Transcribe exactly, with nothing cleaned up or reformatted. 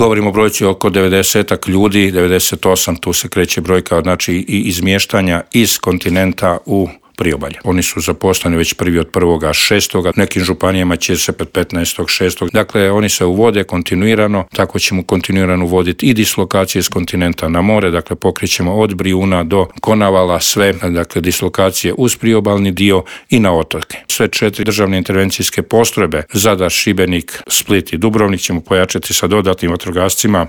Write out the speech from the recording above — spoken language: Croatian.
Govorimo o brojci oko devedesetak ljudi, devedeset osam, tu se kreće brojka, znači i izmještanja iz kontinenta u priobalje. Oni su zaposleni već prvi od prvoga šestoga, nekim županijama će se pet petnaestog šestog. Dakle, oni se uvode kontinuirano, tako ćemo kontinuirano uvoditi i dislokacije s kontinenta na more, dakle pokrećemo od Brijuna do Konavala sve, dakle dislokacije uz priobalni dio i na otoke. Sve četiri državne intervencijske postrojbe, Zadar, Šibenik, Split i Dubrovnik ćemo pojačati sa dodatnim vatrogascima